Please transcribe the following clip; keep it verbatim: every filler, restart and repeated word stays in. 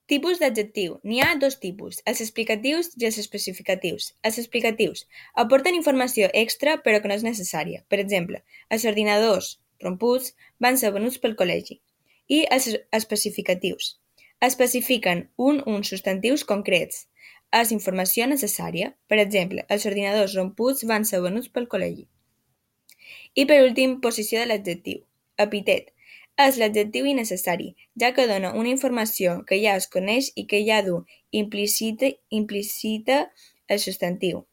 Tipus d'adjectiu. N'hi ha dos tipus, els explicatius i els especificatius. Els explicatius aporten informació extra però que no és necessària. Per exemple, els ordinadors romputs van ser venuts pel col·legi. I els especificatius especifiquen un o uns substantius concrets. És informació necessària. Per exemple, els ordinadors romputs van ser venuts pel col·legi. I per últim, posició de l'adjectiu. Epitet. És l'adjectiu innecessari, ja que dona una informació que ja es coneix i que ja du implícita, implícita el substantiu.